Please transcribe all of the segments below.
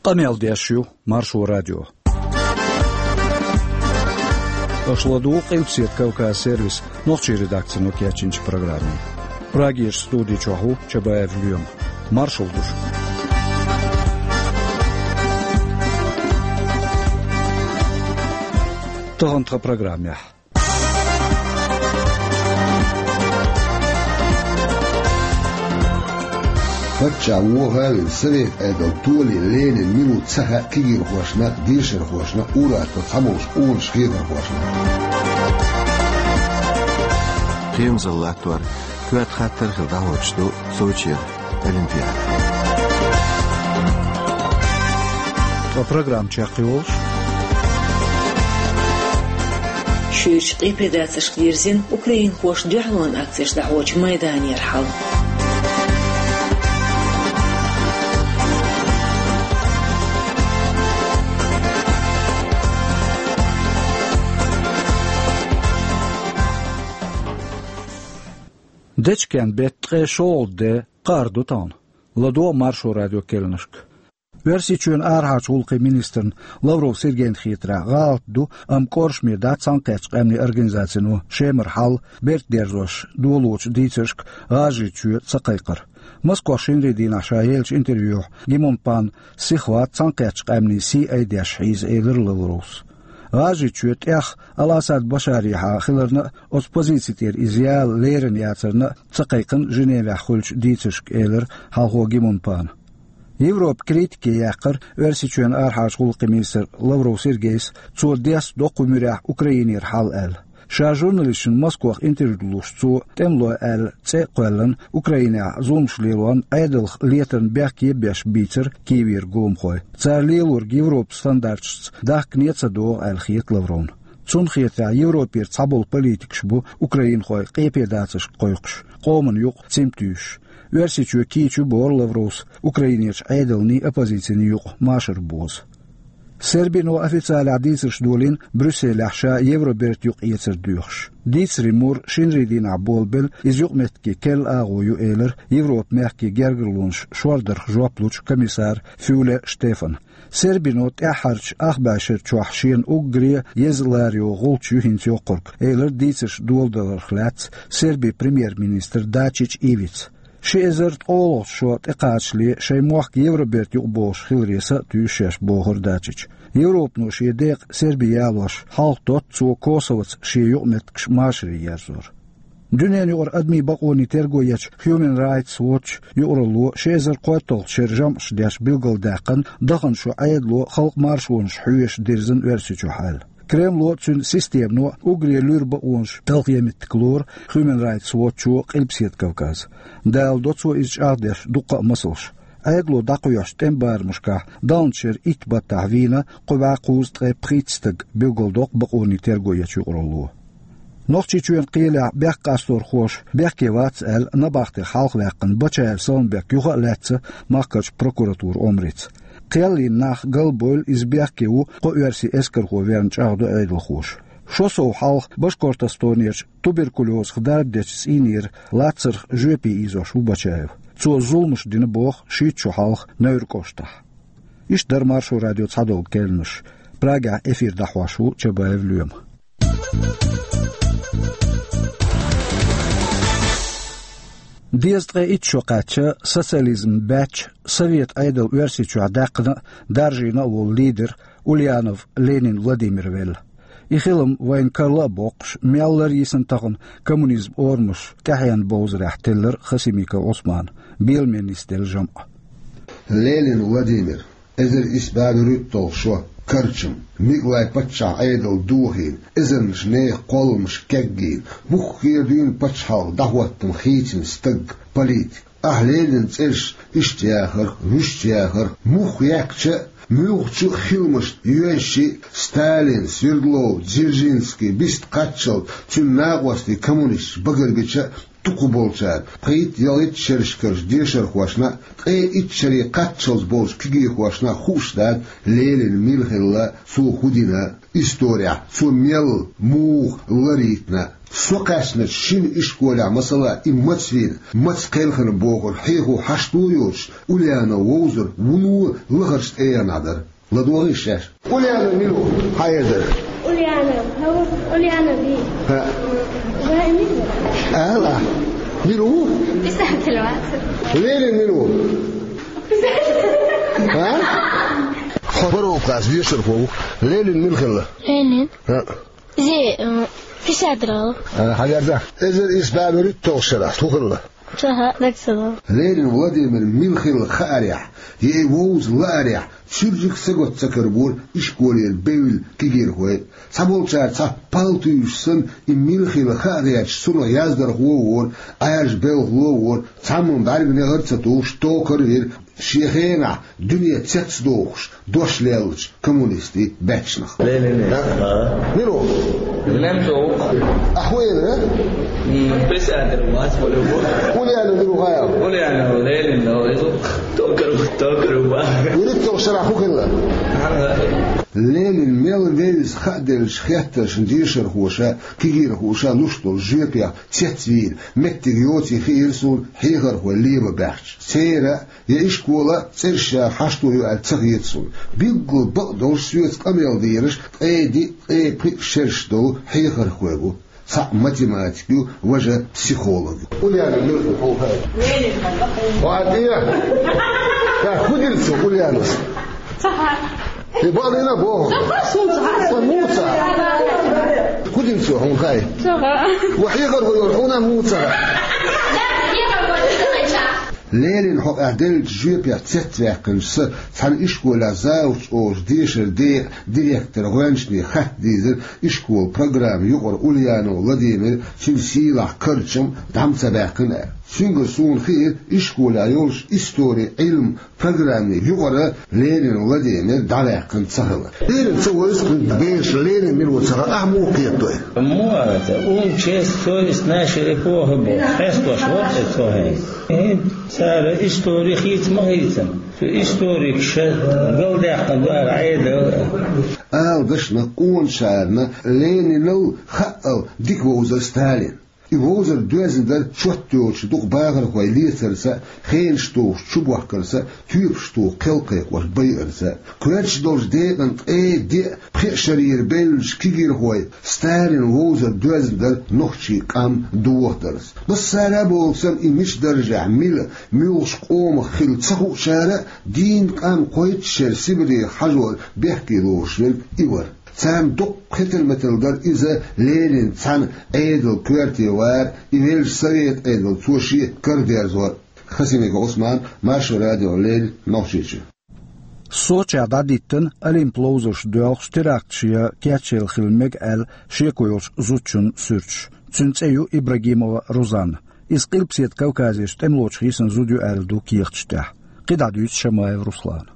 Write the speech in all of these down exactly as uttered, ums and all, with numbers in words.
Къамел деш ю Маршо радио. Аша ладугӀу Къилбаседа Кавказ сервисан нохчийн редакцино кечйинчу программе. Прагерчу студи чохь ву Чабаев Лоьма. Маршалла ду шуьга. Тахана тхан программехь. Паччахь вохавина, Совет Ӏедал толийна Ленин мила ву ца хаьа кегийрхошна, дешархошна, ур-атталла цхьаболчу къонахашна, хьехархошна. Кхерамзалла латтор, коьрта хаттар хилла дӀахьочуш ду Сочера Олимпиада. Ткъа программа чекхйолуш: шуьйрачу къепедацаршка дирзина украинхоша дуьхьалонан акцеш дӀахьочу майданера хьал. Дечкен беттан ткъе шолгӀа де кхаар ду тахана. ЛадогӀа Маршо радион керланашка. Оьрсийчоьнан арахьарчу гӀуллакхийн министрна Лавров Сергейна хетарехь, гӀалат ду, амма кӀоршаме дац Цхьаьнакхеттачу Къаьмнийн Организацино Шемара хьал беркат дерзош долочу дийцаршка ГӀажарийчоь ца кхайкхар. Москвахь шинарин дийнахь ша еллачу интервьюхь Гимон Пан сихват Цхьаьнакхеттачу Къаьмнийн сий айдеш хьийза, элира Лавровс. ГӀажарийчоь тӀех Ал-Асад Башарехьа хиларна а, оцу позици тӀера иза яла лерина яцарна а ца кхайкхина Женевехь хуьлучу дийцаршка, элира хьалхо Гимон Пана. Европа критике яьккхира Оьрсийчоьнан арахьарчу гӀуллакхийн министр Лавров Сергейс, цо дестадо кху муьрехь Украинера хьал аьлла. Ша журналисташна Москвахь интервью луш, цо тӀемалой аьлла цӀе а кхоьллина, Украинехь зуламаш лелорна, Ӏедалх летарна бехке а беш бийцира Киевера гуламхой. Цара лелориг Европан стандарташца дахкане а ца догӀу аьлла хета Лавровна. Цунна хетарехь, Европера цхьаболу политикаш бу украинхой къепедацаршка кхойкхуш, къоман юкъа цим туьйсуш. Оьрсийчоь кийча ю, боху Лавровс, Украинерчу Ӏедалний, оппозицийний юкъа машар боза. Сербино официалехь дийцарш долийна Брюсселехь ша Евробертан юкъаэцар доьхуш. Дийцарийн мур шинарин дийнахь болабелла, иза юкъаметтиге керла агӀо ю, элира Европан мехкийн гергарлонаш шордарх жоп лучу комиссара Фюле Штефана. Сербино тӀаьххьарчу ах бӀешерачохь шена уггаре еза лара йогӀу гӀулч ю хӀинца йоккхург, элира дийцарш доладаларх лаьцна Сербин премьер-министра Дачич Ивица. Ши эзар ткъолгӀачу шо тӀекхачале шайн мохк Евробертан юкъа бохуш хиларе са а туьйсу шаьш, бохура Дачича. Европано шен декъа Серби ялош хьалха дотту цо Косовоца шен юкъаметтигаш машаре ерзор. Дуьненан юкъара адамийн бакъонийн терго ечу Human Rights Watch юкъаралло ши эзар кхойтталгӀачу шеран жамӀаш деш билгалдаьккхина дахана шо Ӏедало халкъан маршонаш хьоьжуш дирзина Оьрсийчохь аьлла. Кремло а, цуьнан системано а уггаре луьра бакъонаш талхийта меттиг лору Human Rights Watch-о Къилбаседа Кавказ. Даладо цо иза чӀагӀдеш дуккха а масалш. Ӏедало дӀакхоьхьучу тӀеман барамашкахь далначу шеран итт баттахь вийна кхо бӀе кхузткъе пхийтта стаг, билгалдоккху бакъонийн терго ечу юкъаралло. Нохчийчоьнан кхелехь бехк къасторхоша бехке вац аьлла, набахтех хьалхаваьккхина Бачаев Саламбек юха а лаьцна махкарчу прокуратуран омрица. Кхел йина нах галбевлла, иза бехке ву кхо оьрсийн эскархо верна, чӀагӀдо Ӏедалхоша. Шо сов хьалха Башкортостонерчу туберкулезах дарба дечу цӀийнера лацарх жоьпе ийзош ву Бачаев. Цо зуламаш дина боху шийтта шо хьалха Невран кӀоштахь. Иштта дара Маршо радион цхьадолу керланаш. Прагехь эфир дӀахьош ву Чабаев Лоьма. Дезткъе итт шо кхаьчча, социализм баьчча, Совет Ӏедал Оьрсийчохь даьккхина а, даржийна а волу лидер Ульянов Ленин Владимир велла. И хилам вайна карла а боккхуш, мел лар йисина тахана коммунизман орамаш тӀаьхьенан бовзарехь, теллира Хасимиков Ӏусмана, Беламе нисделла жамӀ. Ленин Владимир, эзар исс бӀе вуьрхӀитталгӀа шо, Карчам, Микълай-паччахьан Ӏедал дохийна, эзарнаш нехан кхолламаш кегйийна, муххале дуьйна пачхьалкх дӀахӀоттам хийцина стаг, политик. Ахь Ленинан цӀераш иштта яхарх, вуьшта яхарх, муха яьккхича а, муьлххачу а хиламашна йоьшший а, Сталин, Свердлов, Дзержинский биста кхаччалц, цуьнан накъостий коммунисташ багарбича а, Дукхахболчара пхийтта-ялхитта шерашкарча дешархошна а, ткъе итт шаре кхаччалца болча кегийрхошна а хууш дац Ленин мила хилла, цо фу дина, исторехь цо мел, муха ларийна. Со кхаьчначу шина ишколехь, масала, и маца вийна, маца кхелхина бохург хьехо хьашт а йоцуш, Ульянов вовзар вуно лахарчу тӀегӀанехь дара. ЛадогӀий шаьш? Ульянов мила ву? Хьан эзар? Ульянов. ХӀа, Ульянов вий? ХӀаъ. Вай мила ву? Ала. Мила ву? Писатель вац. Ленин мила ву? Писатель. А? Хьо паргӀат классан дешархо ву. Ленин мила хилла? Ленин? ХӀаъ. Иза, э, писатель ву. А, хьан эзар? Эзар исс бӀе вуьрхӀитталгӀачу шарахь хӀун хилла? Ца хаьа, дагца ца догӀу. Ленин Владимир мила хилла хаарехь, я и вовза лаарехь, чуьрчиг сагатта ца карабора ишколера бевлла кегийрхой. Цхьаболчара цхьа пал туьйсуш санна, и мила хилла хаа гӀерташ, цунах яздархо а вора, Ӏаьржа белхало а вора, цхьамма бӀаьрган негӀар а ца тухуш, токар а вира, шен хенахь дуьне цецдохуш, дош леллачу коммунистийн баьччанах. Ленин. Да? А? Мила ву? Ленин ву. Ахьа ву элира? М, писатель вац, ву. Ульянов мила ву хаьа? Ульянов Ленин ву, иза токар, токар ву. ВуьрхӀитталгӀачу шарахь хӀун хилла? Ага. Ленин мел вевза хааделлачу хеттаршна дешархоша, кегийрхоша луш долу жоьпех цецвийра, меттиг йоций хиира суна хьехархой лебан баьхча. Церан я ишколан цӀераш яха хьашто ю аьлла ца хета суна. Билггал бакъдолуш соьца къамел дийраш ткъе диъ, ткъе пхиъ шераш долу хьехархой бу. Цхьаъ математик ю, важа психолог ю. Ульянов мила ву хьуна хаьа? Ва тӀе! Ша хӀун дина цо, Ульянов? Ца хаьа. И бакъдина боху. Ца хаьа, суна ца хаьа. Сан муха ца хаьа? ХӀун дина цо, хьуна хаьий? Ца хаьа. Ва хьехархо йолу хьуна муха ца хаьа? Ленин хьокъехь деллачу жоьпех цецваьккхинчу сан цхьана ишколехь завуч олуш дешара декъан директор гӀоьнчане хатта дийзира, ишколан программа юкъара Ульянов Владимир, цуьнан сийлахь карчам дӀа ма ца баьккхина аьлла. Цуьнгара суна хиира ишколехь йолуш истори, Ӏилма программе юкъара Ленин Владимир дӀаваьккхина ца хилар. Ленин ца вевза кхин бераш, Ленин мила ву ца хаьа, ахьа муха кхетадо? Муха ца, ум, честь, совесть нашей эпохи боху. Хестош вара те цо хӀинца. ХӀинца цара истори хийца ма хийцина. Цу историкаша галдаьккхина дара Ӏедал. Ала дашна къонахарна Ленинал хаъал дика вовзара Сталин. И вовзар доьзна дара чот йоцуш дукха бахархой лецарца, хенаш тухуш чубохкарца, тоьпаш туху кхел кхайкхош байарца. Коьртачу долчу декъана ткъе диъ, пхи шарера бевллачу кегийрхойн Сталин вовзар доьзна дара нохчийн къам дохадарца. Массара а бохург санна, и мича даржехь мила, муьлхачу къомах хилла ца хуучара а, дийнна къам кхойтта шера Сибрех хьажор бехке лоруш верг и вара. Царна доккха хетар-метар дара иза Ленин цхьана Ӏедалан коьрте вар, и веллачу совет Ӏедал цо шен карадерзор. Хасимиков Ӏусман, Маршо радиона леррина, Нохчийчоь. Сочехь дӀадиттина Олимпан ловзарш доьлхуш теракташ ян кечъяла хила мега аьлла шеко йолчу зудчун суьрташ. Цуьнан цӀе ю Ибрагимова Рузанна. Иза Къилбаседа Кавказерчу тӀемалочух йисина зуда ю аьлла ду кехаташ тӀехь. КхидӀа дуьйцу Шамаев Руслана.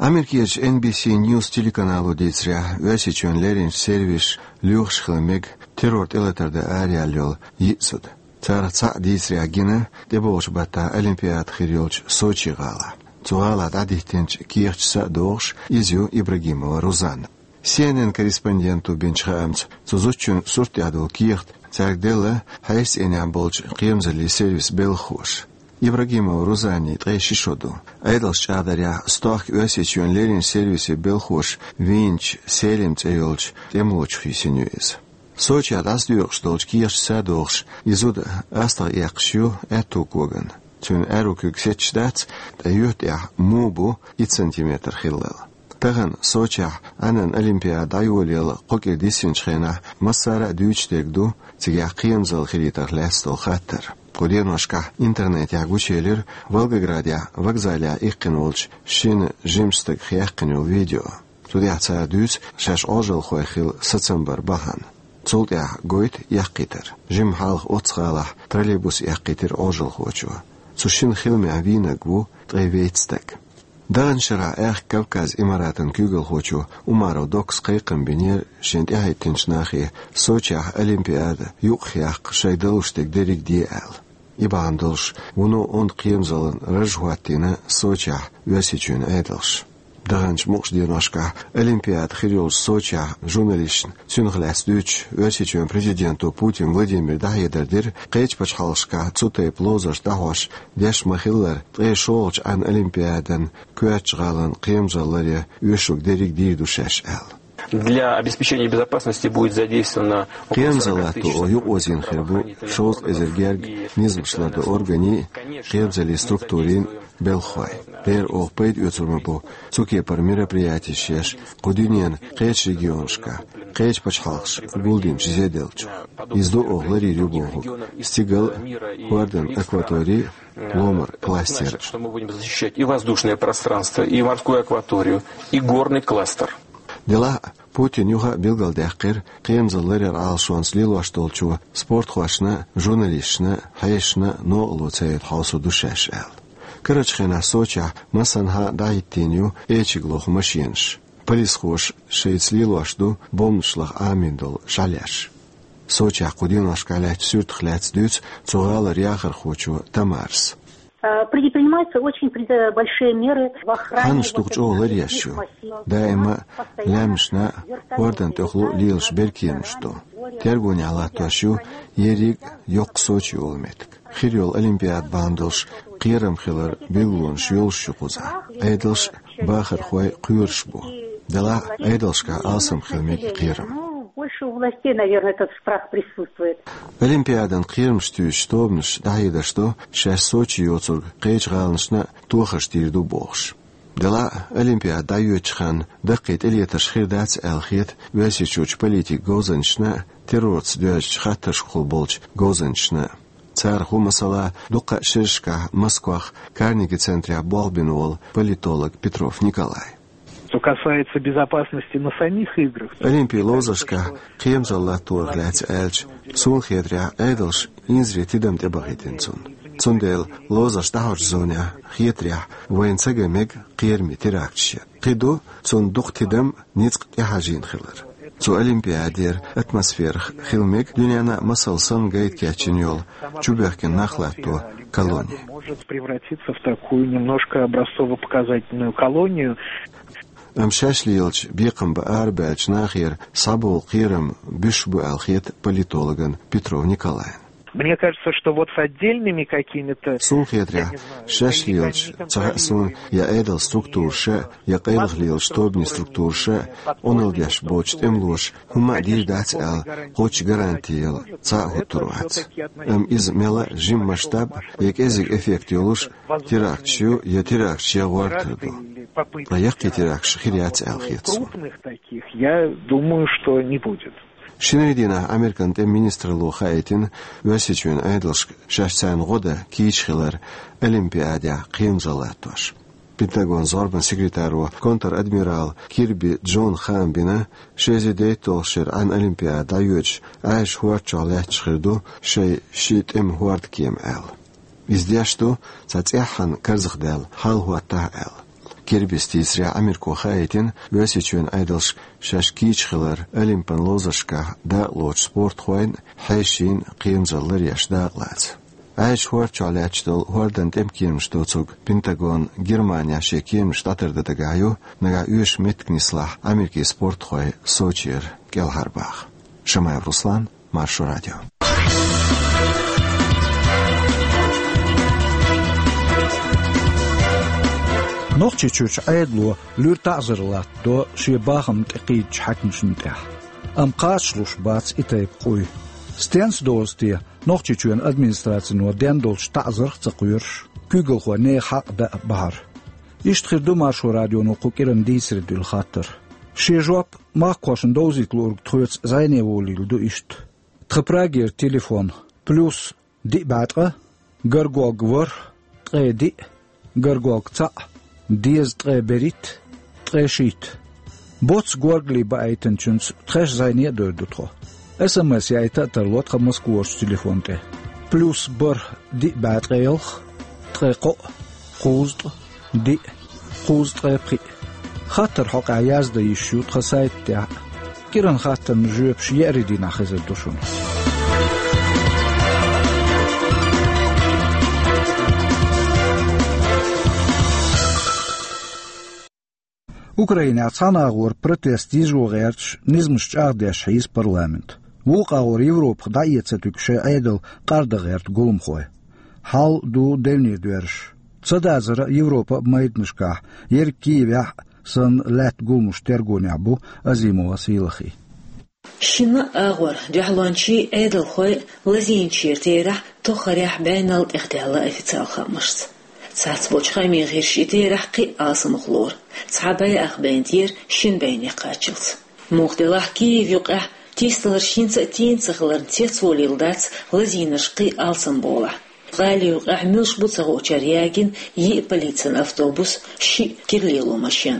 Америкерчу Эн Би Си Ньюс телеканало дийцарехь, Оьрсийчоьнан лерринчу сервисаша лоьхуш хила мега террор тӀелатар дан араяьлла йолу йиъ зуда. Царах цхьаъ дийцарехь гина тӀебогӀучу баттахь Олимпиада хир йолчу Сочи гӀалахь. Цу гӀалахь дӀадиттинчу кехаташца а догӀуш, иза ю Ибрагимова Рузанна. Си Эн Эн корреспонденто бинчу хаамца, цу зудчун сурт тӀехь долу кехат цаьрга делла хьешан цӀийнехь болчу кхерамзаллин сервисан белхахоша. Ибрагимова Рузаннин ткъе ши шо ду. Ӏедалша чӀагӀдарехь, стохка Оьрсийчоьнан лерринчу сервисийн белхахоша вийначу Селим цӀе йолчу тӀемалочух йисина ю иза. Сочехь дӀасадоькъуш долчу кехаташца а догӀуш, и зуда астагӀа эккхаш ю аьтту когана. Цуьнан аьрру куьг сетташ дац, ткъа юьхь тӀехь муха бу итт сантиметр хиллал. Тахана Сочехь Ӏаьнан Олимпиада дӀайолаялла кхо кӀира диссинчу хенахь массара а дуьйцуш дерг ду цигахь кхерамзалла хилийтарх лаьцна долу хаттар. Кху деношкахь интернетехь гучуелира Волгоградехь вокзалехь иккхина волчу шина жимачу стага яьккхина йолу видео. Цу тӀехь цара дуьйцу шаьш Ӏожалхой хила сацам бар бахьана. Цул тӀаьхьа гойту эккхийтар. Жимма хьалха оццу гӀалахь троллейбус эккхийтира Ӏожалхочо. Цу шина хиламехь вийнарг ву ткъе вейтта стаг. Даханчу шарахь Аьхка Кавказ Имаратан куьйгалхочо Умаров Доккас кхайкхам бинера шен тӀаьхьахӀиттинчу нахе Сочехь Олимпиада юкъахъяккха шайга далуш дерг дерриг де аьлла. И бахьана долуш вуно онда кхерамзаллин раж хӀоттийна Сочехь Оьрсийчоьнан Ӏедалша. Даханчу мукъачу деношкахь Олимпиада хир йолчу Сочехь журналисташна цунах лаьцна дуьйцуш, Оьрсийчоьнан президенто Путин Владимира дӀахьедар дира, кхечу пачхьалкхашкахь цу тайпа ловзарш дӀахьош деш ма-хиллара, ткъе шолгӀачу Ӏаьнан Олимпиадан коьртачу гӀалин кхерамзалла ларъян оьшург дерриг дийр ду шаьш аьлла. Для обеспечения безопасности будет задействовано около сорока тысяч сотрудников здравоохранительных органов. Кхерамзалла латто йукъозийна хир бу шовзткъа эзар герга низамаш лардан органийн, кхерамзаллин структурийн белхахой. Дера оха пайда оьцур ма бу цу кепара мероприятеш еш кху дуьненан кхечу регионашкахь, кхечу пачхьалкхаша гулдинчу зеделлачух. Иза ду оха ларйийр ю бохург стигал, хӀордан акватори, ломара кластер. Что мы будем защищать и воздушное пространство, и морскую акваторию, и горный кластер. Делахь а Путина юха а билгалдаьккхира кхерамзалла ларъяран Ӏалашонца лелош долчо спортхошна, журналисташна, хьешашна новкъарло ца йойту хьовсур ду шаьш аьлла. Карарчу хенахь Сочехь массанхьа а дӀахӀиттийна ю эчиг лоху машенаш. Полисхоша шайца лелош ду бомбанаш лаха Ӏамийна долу шаьш. Сочехь кху деношкахь лаьттачу суьртах лаьцна дуьйцу цу гӀалара яхархочо Тамарас. Э, предпринимаются очень пред-, большие меры в охране. Хьаннаш вот дух чӀогӀа ларъеш ю. Даима лаьмнашна, хӀордан тӀехула лелаш беркемаш ду. Тергонехь латтош ю ерриг а йоккха Сочи йолу меттиг. Хир йолу Олимпиада бахьана долуш кхерам хилар билгалонаш йолуш ю кхузахь. Ӏедалш а, бахархой а кхоьруш бу. Делахь а Ӏедалшкахь алсам хила мега кхерам. Ну, больше у властей, наверное, этот страх присутствует. Олимпиадан кхерамаш туьйсучу тобанаша дӀахьедарш до шаьш Сочи йоцург кхечу гӀаланашна а тохарш дийр ду бохуш. Делахь а Олимпиада дӀайоьдучу ханна даккхий тӀелетарш хир дац аьлла хета Оьрсийчуьрчу политикан говзанчашна а, террорца доьзначу хаттаршкахула болчу говзанчашна а. Царах ву, масала, дуккха а шерашкахь Москвахь Карнеги центрехь болх бина волу политолог Петров Николай. Что касается безопасности на самих играх, то Олимпийн ловзаршкахь кхерамзалла латторах лаьцна аьлча, суна хетарехь, Ӏедалша инзаре тидам тӀебахийтина цунна. Цундела ловзарш дӀахьочу зонехь хетарехь, вайна ца ган мега кхераме теракташ ян. Кхин ду цунна дукха тидам, ницкъ тӀехьажийна хилар. Цу Олимпиадера атмосферах хила мега дуьненна а масал санна гайта кечйина йолу чубоьхкина нах латто колони. Может превратиться в такую немножко образцово-показательную колонию. Амма шаьш лелачу бекхам бан арабаьллачу нахера схьаболу кхерам буьсуш бу аьлла хета политологна Петров Николайна. Мне кажется, что вот с отдельными какими-то... Суна хетарехь, шаьш лелачу, ца хаьа суна, я Ӏедалан структураша, я къайлаха лелачу тобанийн структураша, Ӏуналла деш боцчу тӀемалоша хӀумма а дийр дац аьлла кхоччуш гаранти яла цхьа а хӀуттур вац. Амма иза мел а жима масштаб я кӀезиг эффект йолуш теракташ ю, я теракташ ян гӀортар ду. Ткъа яккхий теракташ хир яц аьлла хета суна. Крупных таких, я думаю, что не будет. Шинарин дийнахь Американ тӀеман министралло хаийтина Оьрсийчоьнан Ӏедалшка шаьш царна гӀо дан кийча хилар Олимпиадехь кхерамзалла латтош. Пентагонан зорбанан секретаро, контр-адмирал Кирби Джона хаам бина, ши эзар дейтталгӀачу шеран Ӏаьнан Олимпиада дӀайоьдуш Ӏаьржачу хӀорда чохь лаьтташ хир ду шайн ши тӀеман хӀордкема аьлла. Иза деш ду, цхьа цӀеххьана карзахдаьлла хьал хӀоттахь аьлла. Кирбис дийцарехь, Америко хаийтина Оьрсийчоьнан Ӏедалшка шаьш кийча хилар Олимпан ловзаршкахь дакъалоцучу спортхойн а, хьешийн а кхерамзалла ларъеш дакъалаца. Ӏаьржачу хӀорда чохь лаьтташ долу хӀордан тӀеман кеманаш доцург Пентагон Германехь шен кеманаш дӀатардан дагахь ю, нагахь оьшуш меттиг нислахь, Америкин спортхой Сочера кӀелхьарбаха. Шамаев Руслан, Маршо радио. Нохчийчуьрчу Ӏедало луьра таӀзар латтадо шен бахам тӀекхийдачу хьаькамашна тӀехь. Амма кхачалуш бац и тайпа къуй. Стенца дозу те, Нохчийчоьнан администрацино ден долчу таӀзарх а ца кхоьруш, куьйгалхой нехан хьакъ дан а бахьара? Иштта хир ду Маршо радионо кху кӀиранан дийцаре дуьллу хаттар. Шен жоп махкахошна довзийта луург тхоьца зӀене волийла ду иштта. Тхан Прагера телефон: плюс диъ бӀе ткъа, горгорг ворхӀ, ткъе диъ, горгорг цхьаъ, дезткъе берхӀитта, ткъе шийтта. Боцца горгали баийтинчуьнца тхаьш зӀене а дойр ду тхо. СМС яйта а тарло тхан Москварчу телефон тӀе: плюс бархӀ диъ бӀе ткъе ялх, ткъе кхоъ, кхузткъа, диъ, кхузткъе пхиъ. Хаттар хьокъехь яздан йиш ю тхан сайта тӀехь а. КӀиранан хаттарна жоьпаш еарин дийнахь хезар ду шуна. Украинехь цхьана агӀор протест йижо гӀерташ, низамаш чӀагӀдеш хьийза парламент. Вукху агӀор Европах дӀаэца туьгу шайн Ӏедал къарда гӀерта гуламхой. Хьал ду девне доьраш. Ца дазара Европа а майданашкахь, ерг Киевехь а санна лаьтта гуламаш тергонехь бу Азимова Сийлахи. Шина агӀор дуьхьалончий, Ӏедалхой лазийначеран терахь тохарехь бӀенал тӀехдаьлла официал хаамашца. Цхьацца болчу хаамийн гӀирсаша и терахь кхин а алсамах лору, цхьа бӀе ах бӀе тӀера шина бӀене кхаччалц. Муха делахь Киев юкъехь тийсадаларш хӀинца а тийна ца хиларна цецволийла дац лазийнарш кхин а алсам болахь. ГӀали юкъехь муьлш бу ца хуучара ягийна йиъ полицин автобус, шиъ кира лело машен.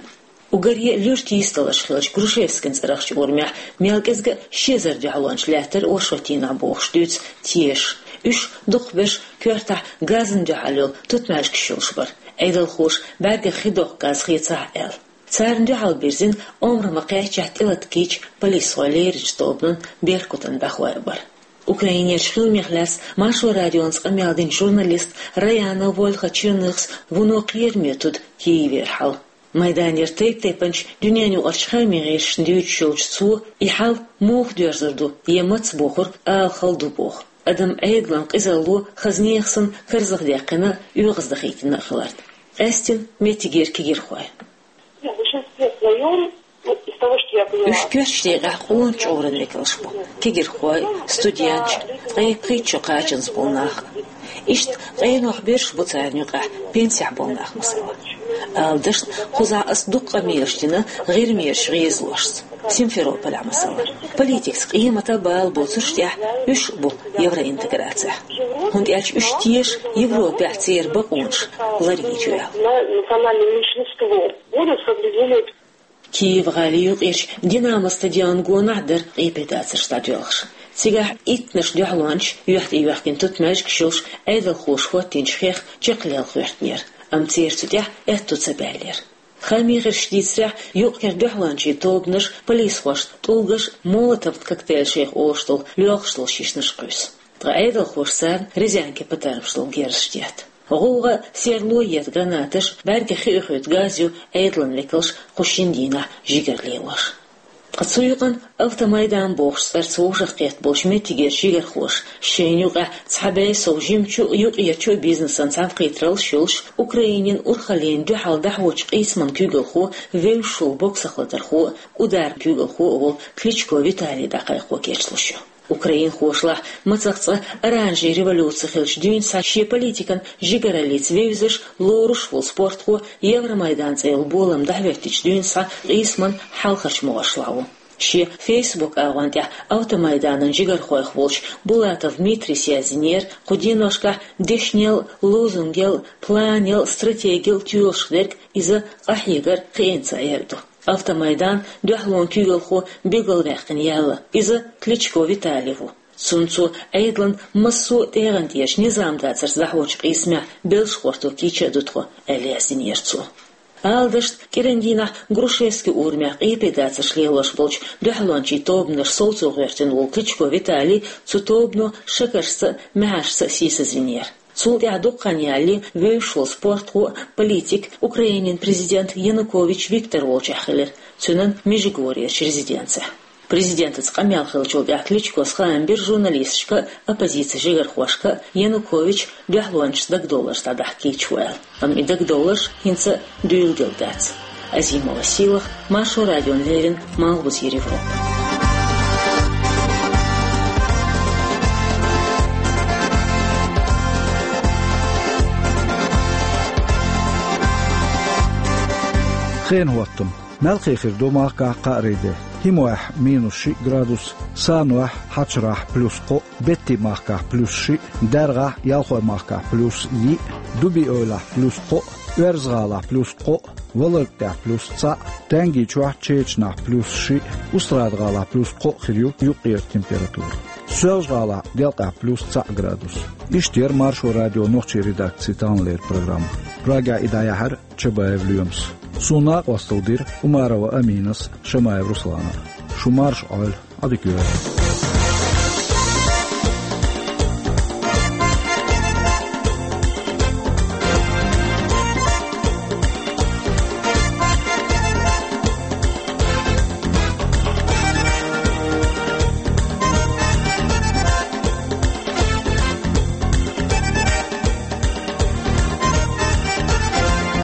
Уггаре а луьра тийсадаларш хиллачу Грушевскин цӀарахчу урамехь мел кӀезга а ши эзар дуьхьалонча лаьттара оршотдийнахь бохуш дуьйцу тешаш. Уьш дукхахберш коьртахь газна дуьхьал йолу тутмаьжгаш йолуш бара, Ӏедалхоша бӀаьргех хи доккху газ хецахьа аьлла. Царна дуьхьал бирзина омра ма-кхеччехь тӀелатта кийча полисхой леринчу тобанан «Беркутан» бӀаьхой а бара. Украинерчу хиламех лаьцна Маршо радионца къамел динчу журналиста Раяна Вольха-Черныхас вуно кхераме туьду Киевера хьал. Майданера тайп-тайпанчу дуьненаюкъарчу хаамийн гӀирсашна дуьйцуш йолчу цо и хьал муха доьрзур ду я маца бохург ала хала ду боху, адам Ӏедалан къизалло хаза нехан санна карзахдаккхина а, оьгӀаздахийтина а хиларна. Къаьстина меттигера кегирхой. Уьш коьртачу декъехь къона чкъуран векалш бу: кегирхой, студенташ, ткъе пхийтта шо кхачанза болу нах. Иштта къенойх берш бу царна юкъахь пенсехь болу нах, масала. Ала дашна, кхузахь аса дукха къамелаш дина ГӀирмерчу гӀезалошца, Симферополехь, масала. Политикаца къематан а, бала боцурш а тӀехь уьш а бу евроинтеграцехь, хӀунда аьлча уьш теша Европехь церан бакъонаш ларйича ваьлла. Киев-гӀалин юкъерчу «Динамо» стадион гонахь дара къепедацарш дӀадоьлхуш. Цигахь иттаннаш дуьхьалончаш, юьхь тӀе йоьхкина тутмаьжгаш йолуш, Ӏедалхоша хӀоттийначу хех чекхлелха хӀоьттинера, амма церан цу тӀехь аьтто ца баьллера. Хаамийн гӀирсаша дийцарехь, юкъ-кхера дуьхьалончийн тобанаш полисхошна тӀулгаш а, молотов коктейль шайх олуш долу лоьхуш долу шишнаш кхуьйсу. Ткъа Ӏедалхоша царна резинкин патармаш долу герзаш детта. ГӀовгӀа а, серло а ета гранаташ, бӀаьргех хи оьхуьйту газ ю Ӏедалан векалша кху шина дийнахь жигара лелош. Ткъа цу юкъана «Автомайдан» бохучу цӀарца вовшахкхетта болчу меттигерчу жигархоша, шайна юкъахь цхьа бӀе сов жимачу а, юкъерчу а бизнесан цхьаьнакхетараллаш йолуш, Украинин урхаллина дуьхьал дӀахьочу къийсаман куьйгалхо, вевзаш волу боксах латархо а, «Удар» куьйгалхо а волу Кличко Виталий дӀакхайкхо кечлуш ю. Украинхошлахь мацах цкъа оранжевая революция хиллачу дуьйна схьа шен политикан жигараллица вевзаш, лоруш а волу спортхо, Евромайдан цӀе йолу болам дӀахӀоьттичу дуьйна схьа къийсаман хьалхарчу могӀаршлахь ву. Шен Facebook агӀон тӀехь «Автомайданан» жигархойх волчу Булатов Митрис яздинера, кху деношкахь дешнел а, лозунгел а, планел а, стратегел а тоьлуш дерг иза къахьегар кхиъна ца эр ду. «Автомайдан» дуьхьалонан куьйгалхо билгалваьккхина яьлла, иза Кличко Виталий ву. Цунна цо Ӏедалан массо а тӀегӀан тӀерачу низам дацарца дӀахьочу къийсамехь белшахӀотто кийча а ду тхо, аьлла яздинера цо. Ала дашна, кӀиран дийнахь Грушевски урамехь къепедацарш лелош болчу дуьхьалончийн тобанаш совцо гӀоьртина волу Кличко Виталий цу тобано шакаршца а, маьхьаршца а сийсазвинера. Цул тӀаьхьа дукха хан ялале вевзаш волу спортхо а, политик а Украинин президент Янукович Виктор волчохь хилира, цуьнан Межигорьерчу резиденцехь. Президентаца къамел хиллачул тӀаьхьа Кличкос хаам бира журналисташка а, оппозицин жигархошка а, Янукович дуьхьалончашца дагадовларш дӀадахьа кийча ву аьлла. Амма и дагадовларш хӀинца а дуьйладелла дац. Азимова Сийлахь, Маршо радиона леррина, Малхбузера Европа. Хенан хӀоттам. Мелхо хир ду махкахь кхаарин де. ХӀимойхь минус шиъ градус, Санойхь, Хьачарахь плюс кхоъ, Беттин махкахь плюс шиъ, ДаьргӀахь, Ялхойн махкахь плюс йиъ, Дуби-Эвлахь плюс кхоъ, Оьрза-ГӀалахь плюс кхоъ, Валаргтехь плюс цхьаъ, Тенги чохь, Чечанахь плюс шиъ, Устрада-ГӀалахь плюс кхоъ хир ю юккъера температура. Соьлжа-ГӀалахь, Делкъехь плюс цхьаъ градус. Иштта яра Маршо радион нохчийн редакцин таханлера программа. Прагехь и дӀаяьхьира Чабаев Лоьмас. Суна накъосталла дира Умарова Аминас, Шамаев Русланас. Шу марша Ӏойла, Ӏадика йойла.